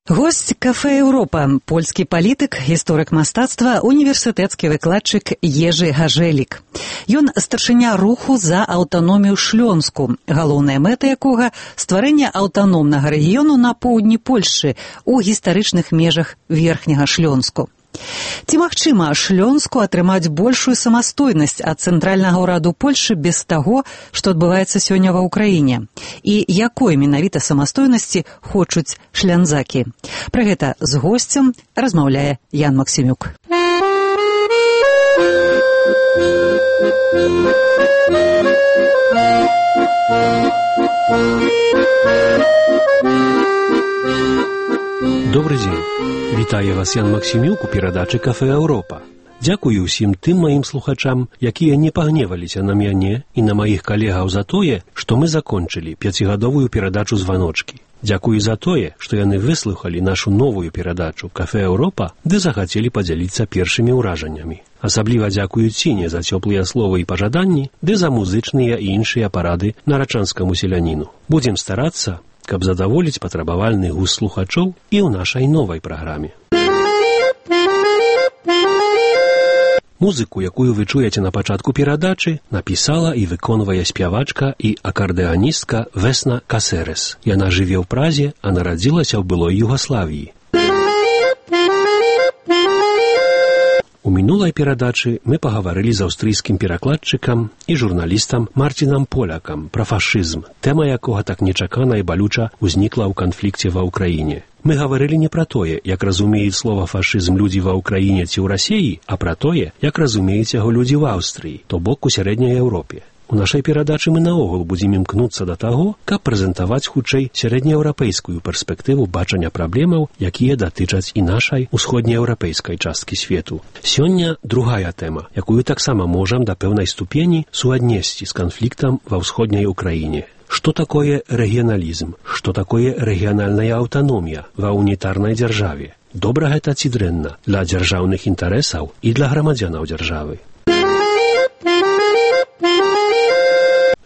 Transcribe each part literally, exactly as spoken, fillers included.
Госць кафэ «Еўропа» – польскі палітык, гісторык мастацтва, універсітэцкі выкладчык Ежы Гажэлік. Ён старшыня руху за аўтаномію Шлёнску, галоўная мэта якога – стварэнне аўтаномнага рэгіёну на поўдні Польшчы ў гістарычных межах Верхняга Шлёнску. Ці магчыма Шлёнску атрымаць большую самастойнасць ад цэнтральнага ўраду Польшчы без таго, што адбываецца сёння ва ўкраіне? І якой менавіта самастойнасці хочуць шлянзакі? Пра гэта з госцем размаўляе Ян Максімюк. Добрый дзень. Вітаю вас, Ян Максімюк, у перадачы «Кафэ Еўропа». Дзякую ўсім тым маім слухачам, якія не пагневаліся на мяне і на маіх калегаў за тое, што мы закончылі пяцігадовую перадачу «Званочкі». Дзякую за тое, што яны выслухалі нашу новую перадачу «Кафэ Еўропа», ды захацелі падзяліцца першымі ўражаннямі. Асабліва дзякую Ціне за цёплыя словы і пажаданні, ды за музычныя і іншыя парады нарачанскаму селяніну. Будзем старацца, каб задаволіць патрабавальны густ слухачоў і ў нашай новай праграме. Музыку, якую вы чуеце на пачатку перадачы, напісала і выконвае спявачка і акардэаністка Весна Касерес. Яна жыве ў Празе, а нарадзілася ў былой Югаславіі. У мінулай перадачы мы пагаварылі з аўстрыйскім перакладчыкам і журналістам Марцінам Полякам пра фашызм, тэма якога так нечакана і балюча ўзнікла ў канфлікце ва ўкраіне. Мы гаварылі не пра тое, як разумеюць слова фашызм людзі ва ўкраіне ці ў Расіі, а пра тое, як разумеюць яго людзі ў Аўстрыі, то бок у сярэдняй Еўропе. У нашай перадачы мы наогул будзем імкнуцца да таго, каб прэзентаваць хутчэй сярэднееўрапейскую перспектыву бачання праблемаў, якія датычаць і нашай усходнееўрапейскай часткі свету. Сёння другая тэма, якую таксама можам да пэўнай ступені суаднесці з канфліктам ва ўсходняй Украіне. Што такое рэгіяналізм? Што такое рэгіянальная аўтаномія ва унітарнай дзяржаве? Добра гэта ці дрэнна для дзяржаўных інтарэсаў і для грамадзянаў дзяржавы?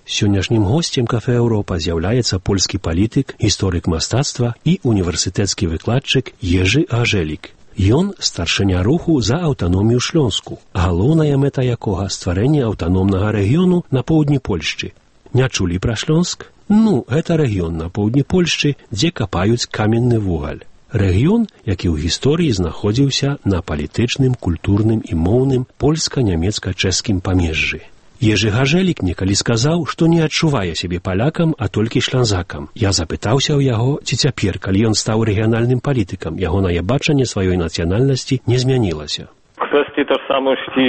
Сённяшнім госцем «Кафэ Еўропа» з'яўляецца польскі палітык, гісторык мастацтва і універсітэцкі выкладчык Ежы Гажэлік. Ён старшыня руху за аўтаномію Шлёнску, галоўная мэта якога – стварэнне аўтаномнага рэгіёну на поўдні Польшчы. Не чулі пра Шлёнск? Ну, гэта рэгіён на поўдні Польшчы, дзе капаюць каменны вугаль. Рэгіён, які ў гісторыі знаходзіўся на палітычным, культурным і моўным польска-нямецка-чэшскім памежжы. Ежы Гажэлік некалі сказаў, што не адчувае сябе палякам, а толькі шлянзакам. Я запытаўся ў яго, ці цяпер, калі ён стаў рэгіянальным палітыкам, ягонае бачанне сваёй нацыянальнасці не змянілася. Kwestii tożsamości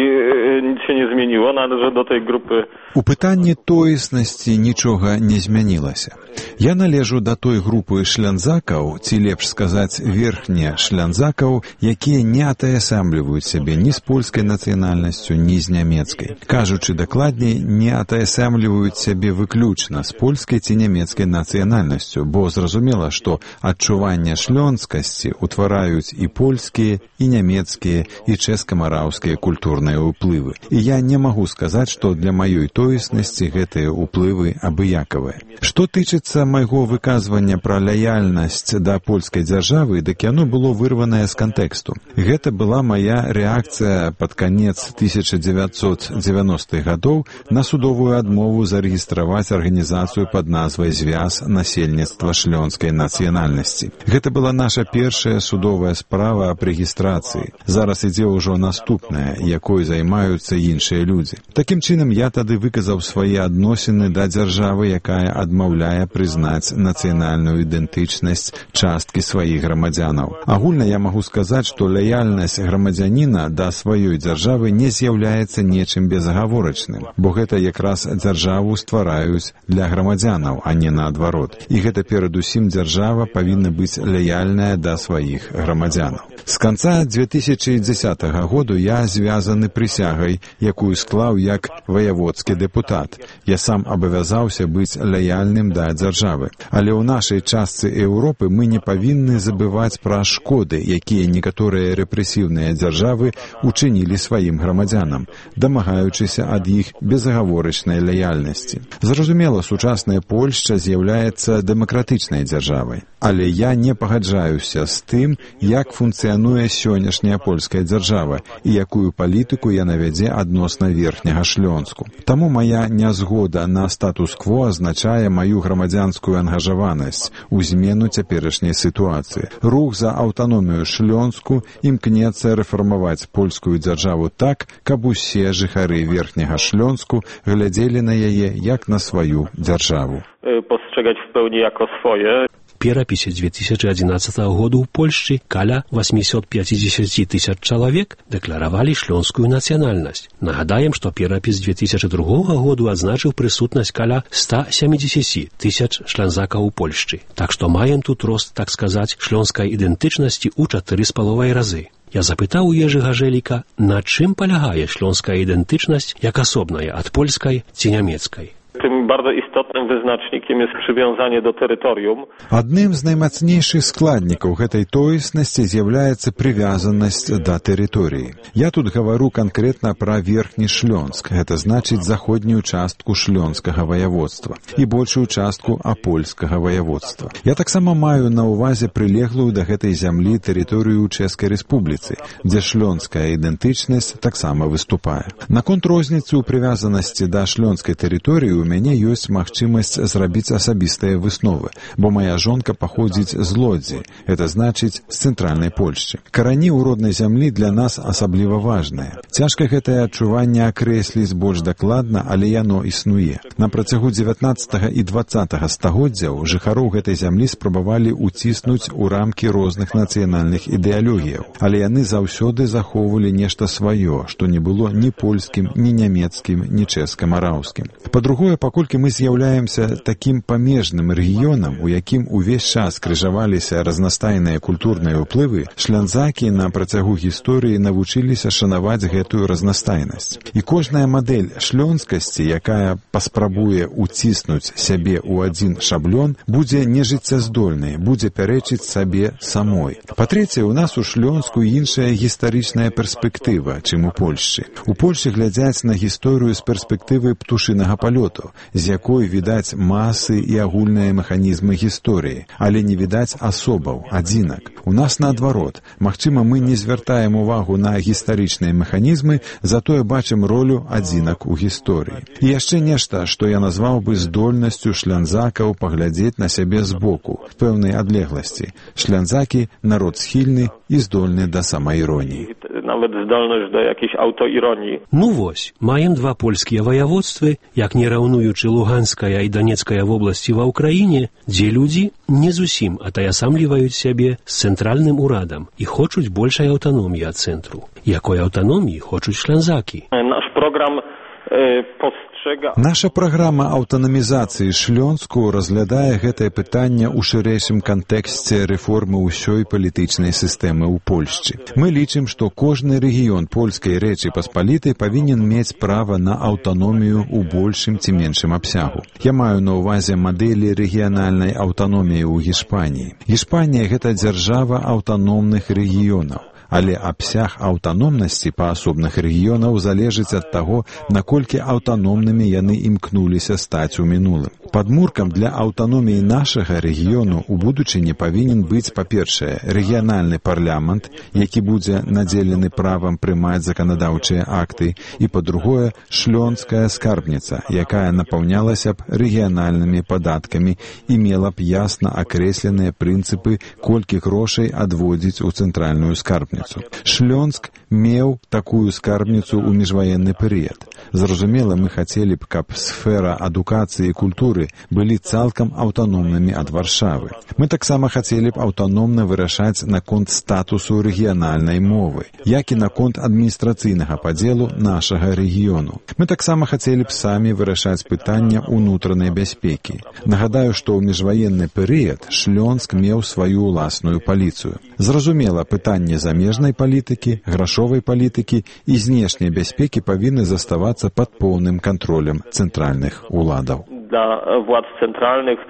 nic się nie zmieniło, należy do tej grupy. У пытанні тоеснасці нічога не змянілася. Я належу да той групы шлянзакаў, ці лепш сказаць верхне шлянзакаў, якія не атаясамліваюць сябе ні з польскай нацыянальнасцю, ні з нямецкай. Кажучы дакладней, не атаясамліваюць сябе выключна з польскай ці нямецкай нацыянальнасцю, бо зразумела, што адчуванне шлёнскасці утвараюць і польскія, і нямецкія, і чэшска-мараўскія культурныя ўплывы. І я не магу сказаць, што для маёй тоеснасці гэтыя ўплывы абыякавыя. Што тычыцца майго выказвання пра лаяльнасць да польскай дзяржавы, дык яно было вырванае з кантэксту. Гэта была мая рэакцыя пад канец тысяча дзевяцьсот дзевяностых гадоў на судовую адмову зарэгістраваць арганізацыю пад назвай «Звяз насельніцтва шлёнскай нацыянальнасці». Гэта была наша першая судовая справа аб рэгістрацыі. Зараз ідзе ўжо наступная, якой займаюцца іншыя людзі. Такім чынам, я тады выказаў свае адносіны да дзяржавы, якая адмаўляе прызнаць нацыянальную ідэнтычнасць часткі сваіх грамадзянаў. Агульна я магу сказаць, што лаяльнасць грамадзяніна да сваёй дзяржавы не з'яўляецца нечым безагаворачным, бо гэта якраз дзяржаву ствараюць для грамадзянаў, а не наадварот. І гэта перадусім дзяржава павінна быць лаяльная да сваіх грамадзянаў. З канца две тысячи дзесятага году я звязаны прысягай, якую склаў як ваяводскі дэпутат. Я сам абавязаўся быць лаяльным да дзяржавы. Але ў нашай частцы Еўропы мы не павінны забываць пра шкоды, якія некаторыя рэпрэсіўныя дзяржавы учынілі сваім грамадзянам, дамагаючыся ад іх безагаворачнай лаяльнасці. Зразумела, сучасная Польшча з'яўляецца дэмакратычнай дзяржавай. Але я не пагаджаюся з тым, як функцыянуе сённяшняя польская дзяржава і якую палітыку яна вядзе адносна верхняга Шлёнску. Таму мая нязгода на статус-кво азначае маю грамадзянскую ангажаванасць у змену цяперашняй сітуацыі. Рух за аўтаномію Шлёнску імкнецца рэфармаваць польскую дзяржаву так, каб усе жыхары верхняга Шлёнску глядзелі на яе як на сваю дзяржаву. Postrzegać w pełni jako swoje. Перапісе две тысячи одиннадцатого году ў Польшчы каля восемьсот пятьдесят тысяч чалавек дэкларавалі шлёнскую нацыянальнасць. Нагадаем, што перапіс две тысячи другого году адзначыў прысутнасць каля ста семидесяти тысяч шлянзакаў у Польшчы. Так што маем тут рост, так сказаць, шлёнскай ідэнтычнасці ў чатыры з паловай разы. Я запытаў у Ежы Гажэліка, на чым палягае шлёнская ідэнтычнасць як асобная ад польскай ці нямецкай. Tym bardzo istotnym wyznacznikiem jest przywiązanie do terytorium. Адным з наймацнейшых складнікаў гэтай тоеснасці з'яўляецца прывязанасць да тэрыторыі. Я тут гавару канкрэтна пра верхні Шлёнск, гэта значыць заходнюю частку шлёнскага ваяводства і большую частку апольскага ваяводства. Я таксама маю на ўвазе прылеглую да гэтай зямлі тэрыторыю ў Чэшскай рэспубліцы, дзе шлёнская ідэнтычнасць таксама выступае. Наконт розніцы ў прывязанасці да шлёнскай тэрыторыі у мяне ёсць магчымасць зрабіць асабістыя высновы, бо моя жонка паходзіць з Лодзі, гэта значыць з цэнтральнай Польшчы. Карані ў роднай зямлі для нас асабліва важныя. Цяжка гэтае адчуванне акрэсліць больш дакладна, але яно існуе. На працягу дзевятнаццатага і дваццатага стагоддзяў жыхароў гэтай зямлі спрабавалі ўціснуць у рамкі розных нацыянальных ідэалогіяў, але яны заўсёды захоўвалі нешта сваё, што не было ні польскім, ні нямецкім, ні чэшска-мараўскім. Па-другое, паколькі мы з'яўляемся такім памежным рэгіёнам, у якім увесь час крыжаваліся разнастайныя культурныя ўплывы, шлянзакі на працягу гісторыі навучыліся шанаваць гэтую разнастайнасць. І кожная мадэль шлёнскасці, якая паспрабуе ўціснуць сябе ў адзін шаблон, будзе нежыццяздольнай, будзе пярэчыць сабе самой. Па-трэцяе, у нас у Шлёнску іншая гістарычная перспектыва, чым у Польшчы. У Польшчы глядзяць на гісторыю з перспектывы птушынага палёту, з якой відаць масы і агульныя механізмы гісторыі, але не відаць асобаў, адзінак. У нас наадварот. Магчыма, мы не звяртаем увагу на гістарычныя механізмы, затое бачым ролю адзінак у гісторыі. І яшчэ нешта, што я назваў бы здольнасцю шлянзакаў паглядзець на сябе збоку, в пэўнай адлегласці. Шлянзакі – народ схільны і здольны да самаіроніі. Nawet zdolność do jakiejś autoironii. Ну вось, маем два польскія ваяводствы, як не раўнуючы Луганская і Донецкая вобласці ва ўкраіне, дзе людзі не зусім атаясамліваюць сябе з цэнтральным урадам і хочуць большай аўтаноміі ад цэнтру. Якой аўтаноміі хочуць шлянзакі? Наш праграм e, postrzega... Наша праграма аўтанамізацыі Шлёнску разглядае гэтае пытанне ў шырэйшым кантэксце рэформы ўсёй палітычнай сістэмы ў Польшчы. Мы лічым, што кожны рэгіён польскай рэчы паспалітай павінен мець права на аўтаномію ў большым ці меншым абсягу. Я маю на ўвазе мадэлі рэгіянальнай аўтаноміі ў Гішпаніі. Гішпанія – гэта дзяржава аўтаномных рэгіёнаў. Але абсяг аўтаномнасці паасобных рэгіёнаў залежыць ад таго, наколькі аўтаномнымі яны імкнуліся стаць у мінулым. Падмуркам для аўтаноміі нашага рэгіёну ў будучыні павінен быць, па-першае, рэгіянальны парламент, які будзе надзелены правам прымаць заканадаўчыя акты, і, па-другое, шлёнская скарбніца, якая напаўнялася б рэгіянальнымі падаткамі і мела б ясна акрэсленыя прынцыпы, колькі грошай адводзіць у цэнтральную скарбніцу. Шлёнск меў такую скарбніцу ў міжваенны перыяд. Зразумела, мы хацелі б, каб сфера адукацыі і культуры былі цалкам аўтаномнымі ад Варшавы. Мы таксама хацелі б аўтаномна вырашаць наконт статусу рэгіянальнай мовы, як і наконт адміністрацыйнага падзелу нашага рэгіёну. Мы таксама хацелі б самі вырашаць пытання ўнутранай бяспекі. Нагадаю, што ў міжваенны перыяд Шлёнск меў сваю ўласную паліцыю. Зразумела, пытанне замежнай палітыкі, грашовай палітыкі і знешняй бяспекі павінны заставацца пад поўным кантролем цэнтральных уладаў. Dla władz centralnych.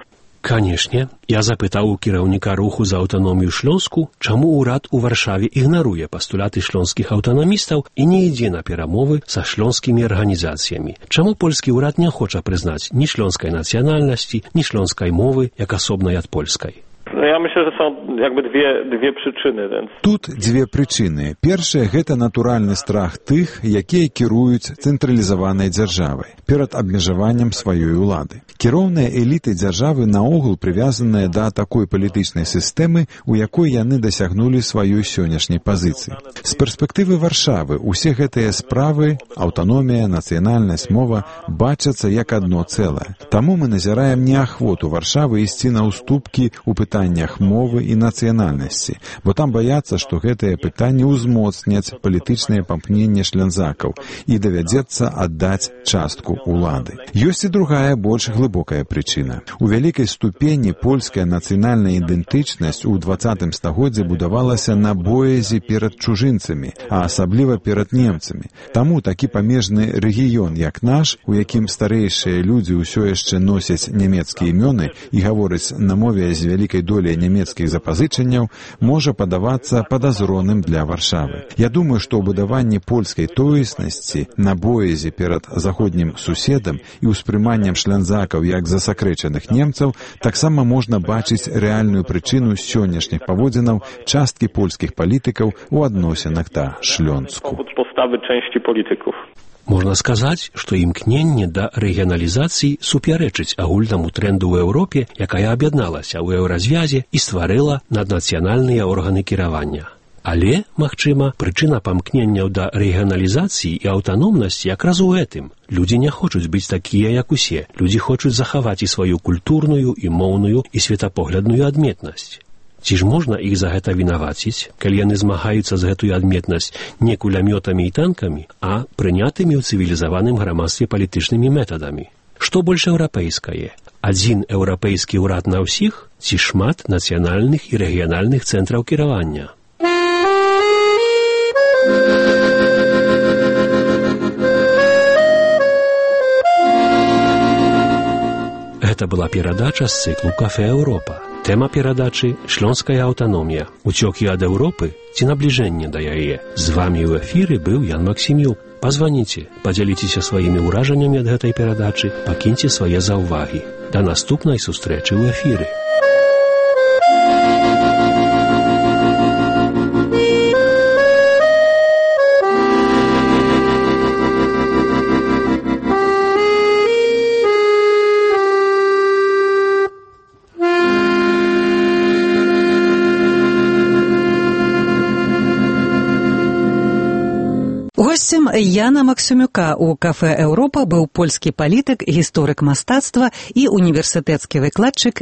Канешне, я запытаў у кіраўніка руху за аўтаномію Шлёнску, чаму ўрад у Варшаве ігнаруе пастулаты шлёнскіх аўтанамістаў і не ідзе на перамовы са шлёнскімі арганізацыямі. Чаму польскі ўрад не хоча прызнаць ні шлёнскай нацыянальнасці, ні шлёнскай мовы як асобнай ад польскай? No ja myślę, że są jakby dwie, dwie przyczyny. Więc... Тут дзве прычыны. Першае – гэта натуральны страх тых, якія кіруюць цэнтралізаванай дзяржавай перад абмежаваннем сваёй улады. Кіроўныя эліты дзяржавы наогул прывязаныя да такой палітычнай сістэмы, у якой яны дасягнулі сваёй сённяшняй пазіцыі. З перспектывы Варшавы усе гэтыя справы, аўтаномія, нацыянальнасць, мова бачацца як адно цэлае. Таму мы назіраем неахвоту Варшавы ісці на ўступкі ў пытаннях мовы і нацыянальнасці, бо там баяцца, што гэтыя пытанні ўзмоцняць палітычнае памкненне шлянзакаў і давядзецца аддаць частку улады. Ёсць і другая, больш глыбокая прычына. У вялікай ступені польская нацыянальная ідэнтычнасць у дваццатым стагоддзі будавалася на боязі перад чужынцамі, а асабліва перад немцамі. Таму такі памежны рэгіён, як наш, у якім старэйшыя людзі ўсё яшчэ носяць нямецкія імёны і гавораць на мове з вялікай доляй нямецкіх запазычанняў, можа падавацца падазроным для Варшавы. Я думаю, што ў будаванні польскай тоеснасці на боязі перад заходнім суседам і ўспрыманнем шлянзакаў як засакрэчаных немцаў таксама можна бачыць рэальную прычыну сённяшніх паводзінаў часткі польскіх палітыкаў у адносінах да Шлёнску. Можна сказаць, што імкненне да рэгіяналізацыі супярэчыць агульнаму трэнду ў Еўропе, якая аб'ядналася ў еўразвязе і стварыла наднацыянальныя органы кіравання. Але, магчыма, прычына памкненняў да рэгіяналізацыі і аўтаномнасці якраз у гэтым. Людзі не хочуць быць такія, як усе. Людзі хочуць захаваць і сваю культурную, і моўную, і светапоглядную адметнасць. Ці ж можна іх за гэта вінаваціць, калі яны змагаюцца з гэтую адметнасць не кулямётамі і танкамі, а прынятымі ў цывілізаваным грамадстве палітычнымі метадамі? Што больш еўрапейскае? Адзін еўрапейскі ўрад на ўсіх ці шмат нацыянальных і рэгіянальных цэнтраў кіравання? Гэта была перадача з цыклу «Кафе Еўропа». Тэма перадачы – шлёнская аўтаномія. Уцёкі ад Еўропы ці набліжэнне да яе. З вамі ў эфіры быў Ян Максімюк. Пазваніце, падзяліцеся сваімі ўражаннямі ад гэтай перадачы, пакіньце свае заўвагі. Да наступнай сустрэчы ў эфіры. Госцем Яна Максімюка у «Кафе Еўропа» быў польскі палітык, гісторык мастацтва і універсітэцкі выкладчык